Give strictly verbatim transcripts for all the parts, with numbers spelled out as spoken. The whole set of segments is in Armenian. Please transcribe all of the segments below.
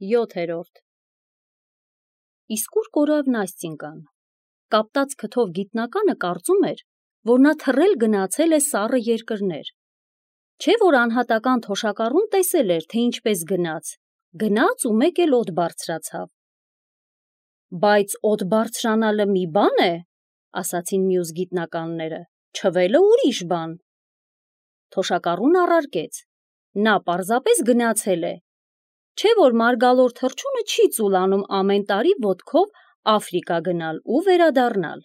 յոթերորդ Իսկ ուր կորավ Նաստինկան։ Կապտած քթով գիտնականը կարծում էր, որ նա թռել գնացել է սառը երկրներ։ Չէ՞ որ անհատական թոշակառուն տեսել էր, թե ինչպես գնաց, գնաց ու մեկ էլ օդ բարձրացավ։ Բայց օդ բարձրանալը մի բան է, ասացին մյուս գիտնականները, չվելը ուրիշ բան։ Թոշակառուն առարկեց, նա պարզապես գնացել է, չէ՞ որ մարգալոր թռչունը չի ծուլանում ամեն տարի ոտքով Աֆրիկա գնալ ու վերադառնալ։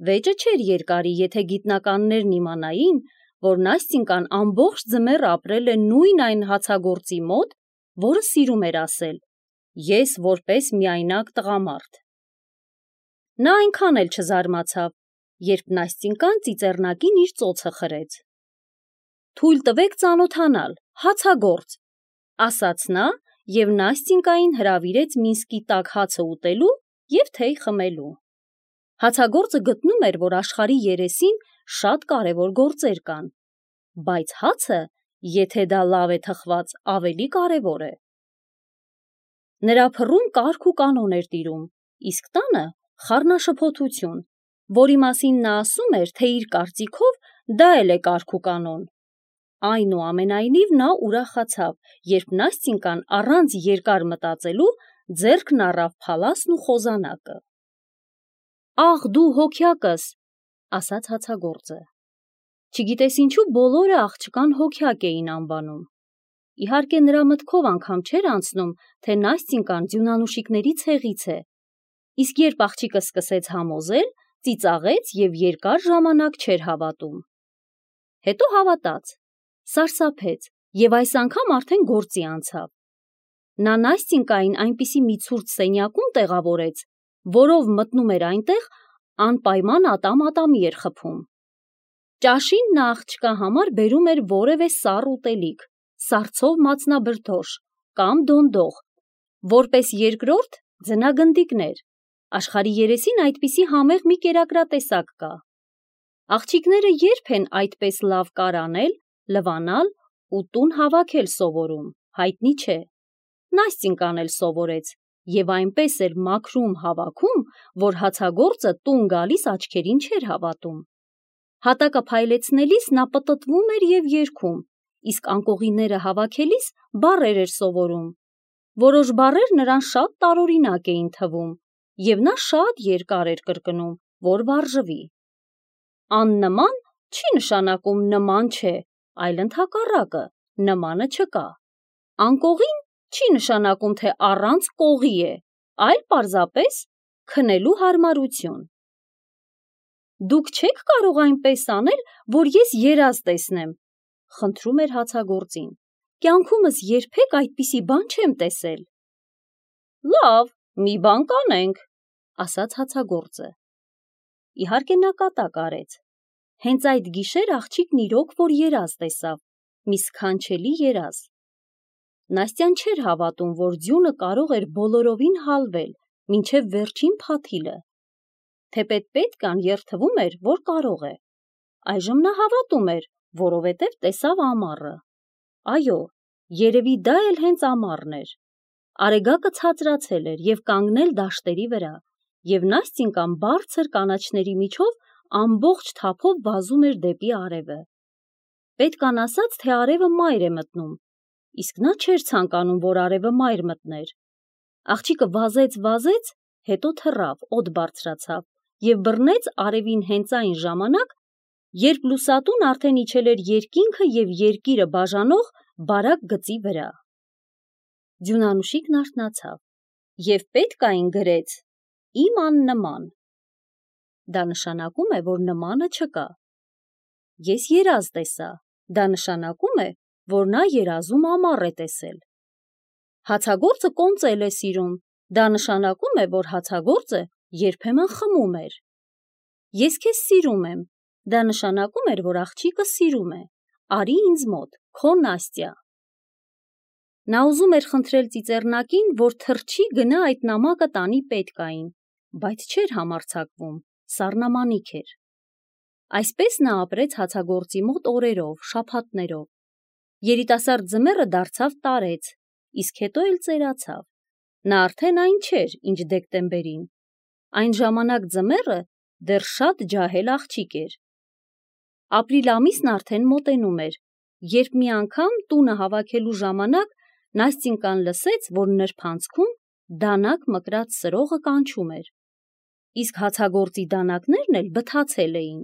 Վեճը չէր երկարի, եթե գիտնականներն իմանային, որ Նաստինկան ամբողջ ձմեռ ապրել է նույն այն հացագործի մոտ, որը սիրում էր ասել. «Ես որպես միայնակ տղամարդ»։ Նա այնքան էլ չզարմացավ, երբ Նաստինկան ծիծեռնակին իր ծոցը խրեց։ «Թույլ տվեք ծանոթանալ, հացագործ», ասաց նա և Նաստինկային հրավիրեց Մինսկի տաք հացը ուտելու և թեյ խմելու։ Հացագործը գտնում էր, որ աշխարհի երեսին շատ կարևոր գործեր կան, բայց հացը, եթե դա լավ է թխված, ավելի կարևոր է։ Նրա փռում կարգ ու կանոն էր տիրում, իսկ տանը խառնաշփոթություն, որի մասին նա ասում էր, թե իր կարծիքով դա էլ է կարգ ու կանոն։ Այնուամենայնիվ նա ուրախացավ, երբ Նաստինկան առանց երկար մտածելու ձեռքն առավ փալասն ու խոզանակը։ «Աղ դու հոգյակս», ասաց հացագործը։ Չգիտես ինչու բոլորը աղջկան հոգյակ էին անվանում։ Իհարկե նրա մտքով անգամ չէր անցնում, թե Նաստինկան ձյունանուշիկների ցեղից է, իսկ երբ աղջիկը սկսեց համոզել, ծիծաղեց և երկար ժամանակ չէր հավատում։ Հետո հավատաց, սարսափեց և այս անգամ արդեն գործի անցավ։ Նա Նաստինկային այնպիսի մի ցուրտ սենյակում տեղավորեց, որով մտնում էր այնտեղ, անպայման ատամ ատամի էր խփում։ Ճաշին նա աղջկա համար բերում էր որևէ սառ ուտելիք, սառցով մածնաբրդոշ կամ դոնդող, որպես երկրորդ ձնագնդիկներ, աշխարհի երեսին այդպիսի համեղ մի կերակրատեսակ կա։ Աղջիկները երբ են այդպես լավ կար անել, լվանալ ու տուն հավաքել սովորում, հայտնի չէ։ Նաստինկան էլ սովորեց և այնպես էր մաքրում հավաքում, որ հացագործը տուն գալիս աչքերին չէր հավատում։ Հատակը փայլեցնելիս նա պտտվում էր և երգում, իսկ անկողինները հավաքելիս բառեր էր սովորում։ Որոշ բառեր նրան շատ տարօրինակ էին թվում, և նա շատ երկար էր կրկնում, որ վարժվի։ Աննման չի նշանակում նման չէ, այլ ընդհակառակը, նմանը չկա։ Անկողին չի նշանակում, թե առանց կողի է, այլ պարզապես քնելու հարմարություն։ Դուք չե՞ք կարող այնպես անել, որ ես երազ տեսնեմ, խնդրում էր հացագործին։ Կյանքումս երբեք այդպիսի բան չեմ տեսել։ Լավ, մի բան կանենք, ասաց հացագործը։ Իհարկե նա կատակ արեց։ Հենց այդ գիշեր աղջիկն իրոք որ երազ տեսավ, մի սքանչելի երազ։ Նաստյան չէր հավատում, որ ձյունը կարող էր բոլորովին հալվել, մինչև վերջին փաթիլը։ Թեպետ պետքան երդվում էր, որ կարող է։ Այժմ նա հավատում էր, որովհետև տեսավ ամառը։ Այո, երևի դա էլ հենց ամառն էր։ Արեգակը ցածրացել էր և կանգնել դաշտերի վրա, և Նաստինկան բարձր կանաչների միջով ամբողջ թափով վազում էր դեպի արևը։ Պետքան ասաց, թե արևը մայր է մտնում, իսկ նա չէր ցանկանում, որ արևը մայր մտներ։ Աղջիկը վազեց, վազեց, հետո թռավ, օդ բարձրացավ և բռնեց արևին հենց այն ժամանակ, երբ լուսատուն արդեն իջել էր երկինքը և երկիրը բաժանող բարակ գծի վրա։ Ձյունանուշիկն արթնացավ և պետքային գրեց. «Իմ աննման»։ Դա նշանակում է, որ նմանը չկա։ Ես երազ տեսա, դա նշանակում է, որ նա երազում ամառ է տեսել։ Հացագործը կոնծել է սիրում, դա նշանակում է, որ հացագործը երբեմն խմում էր։ Ես քեզ սիրում եմ, դա նշանակում էր, որ աղջիկը սիրում է։ Արի ինձ մոտ, քո Նաստյա։ Նա ուզում էր խնդրել ծիծեռնակին, որ թռչի գնա այդ նամակը տանի պետքային, բայց չէր համարձակվում, սառնամանիք էր։ Այսպես նա ապրեց հացագործի մոտ օրերով, շաբաթներով։ Երիտասարդ ձմեռը դարձավ տարեց, իսկ հետո էլ ծերացավ։ Նա արդեն այն չէր, ինչ դեկտեմբերին։ Այն ժամանակ ձմեռը դեռ շատ ջահել աղջիկ էր։ Ապրիլ ամիսն արդեն մոտենում էր, երբ մի անգամ տունը հավաքելու ժամանակ Նաստինկան լսեց, որ նրբանցքում դանակ մկրած սրողը կանչում էր։ Իսկ հացագործի դանակներն էլ բթացել էին։